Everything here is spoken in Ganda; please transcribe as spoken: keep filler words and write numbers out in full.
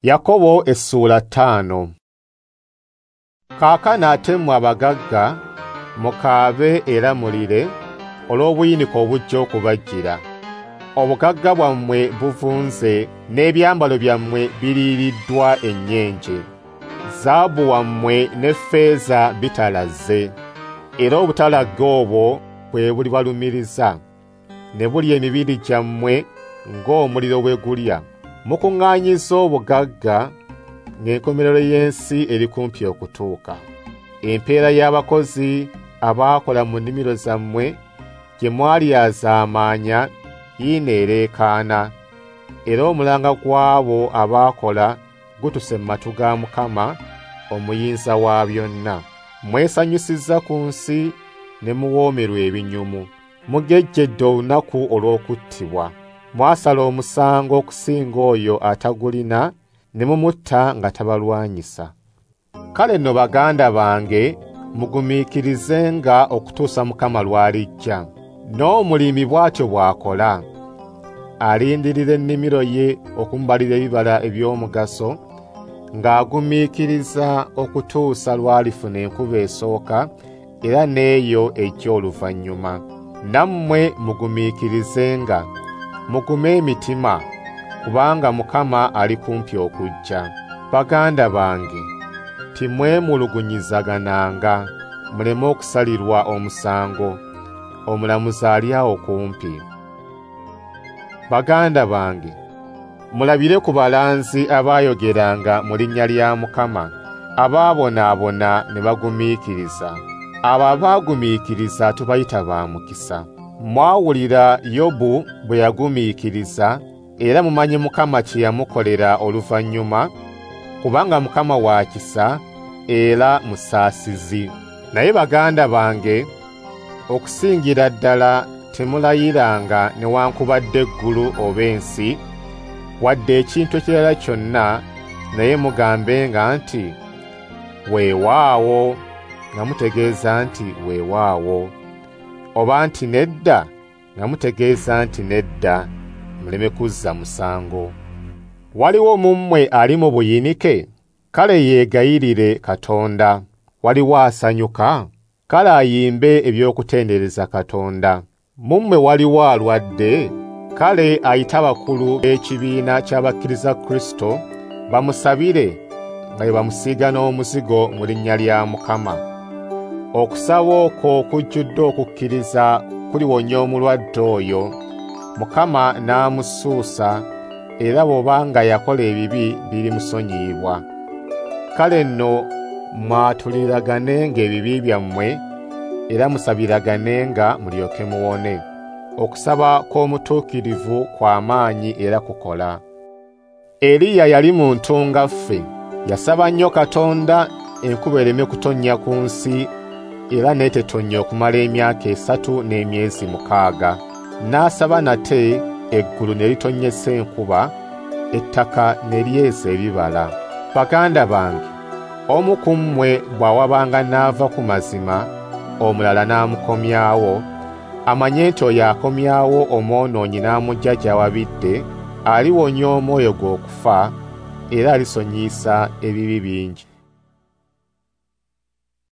Yakobo essuula ttaano. Kaakano ate mmwe abagagga mukaabe era mulire olw'obuyinike obujja okubajjira. Obugagga bwammwe buvunze n'ebyambalo byammwe biriiriddwa ennyenje. Zaabu wammwe ne ffeeza bitalazze, era obutalagge obwo bwe bulibalumiriza, ne bulya emibiri gyammwe ng'omuliro bwe gulya. Mukuŋŋaanyizza obugagga ng'enkomerero y'ensi eri kumpi okutuuka. Empeera y'abakozi abaakola mu nnimiro zammwe gye mwalyazaamaanya yiino ereekaana, era omulanga gw'abo abaakola gutuse mu matu ga Mukama omuyinza wa byonna. Mwesanyusizza ku nsi ne muwoomerwa ebinyumu. Mugejjedde olunaku olw'okuttibwa. Mwasala omusango okusinga oyo atagulina ne mumutta nga tabalwanyisa. Kale nno baganda bange mugumiikirizenga okutuusa Mukama lw'alijja. N'omulimi bw'atyo bw'akola, alindirira ennimiro ye okumubalira ebibala eby'omugaso, ng'agumiikiriza okutuusa lw'alifuna enkuba esooka era n'eyo ejja oluvannyuma. Nammwe mugumiikirizenga, mugume emitima, kubanga Mukama ali kumpi okujja. Baganda bange, timwemulugunyizagananga, muleme okusalirwa omusango. Omulamuzi ali awo kumpi. Baganda bange, mulabire ku balanzi abaayogeranga mu linnya lya Mukama, abaabonaabona ne bagumiikiriza. Abo abaagumiikiriza tubayita ba mukisa. Mwawulira Yobu bwe yagumiikiriza, era mumanye Mukama kye yamukolera oluvannyuma, kubanga Mukama wa kisa era musaasizi. Naye baganda bange, okusingira ddala temulayiranga newankubadde eggulu oba ensi, wadde ekintu ekirala kyonna, naye mugambenga nti weewaawo, nga mutegeeza nti weewaawo, oba nti nedda, nga mutegeeza nti nedda, muleme kuzza musango. Waliwo mu mmwe ali mu buyinike? Kale yeegayirire Katonda. Waliwo asanyuka? Kale ayimbe eby'okutendereza Katonda. Mu mmwe waliwo alwadde? Kale ayite abakulu b'ekibiina ky'abakkiriza Kristo bamusabire nga bwe bamusiiga n'omuzigo mu linnya lya Mukama. Okusaba okwo kujjudde okukkiriza kuliwonya omulwadde oyo, Mukama n'amusuusa, era bw'obanga yakola ebibi birimusonyiyibwa. Kale nno mwatuliraganenga ebibi byammwe, era musabiraganenga mulyoke muwone. Okusaba kw'omutuukirivu kwa maanyi era kukola. Eriya yali muntu nga ffe, yasaba nnyo Katonda enkuba ereme kutonnya ku nsi, era n'etetonnya okumala emyaka esatu n'emyezi mukaaga. N'asaba nate, eggulu ne litonnyesa enkuba, ettaka ne lyeza ebibala. Baganda bange, omu ku mmwe bw'awabanga n'ava ku mazima, omulala n'amukomyawo, amanye nti oyo akomyawo omwonoonyi n'amuggya gy'awabidde, aliwonya omwoyo gwe okufa, era alisonyiyisa ebibi bingi.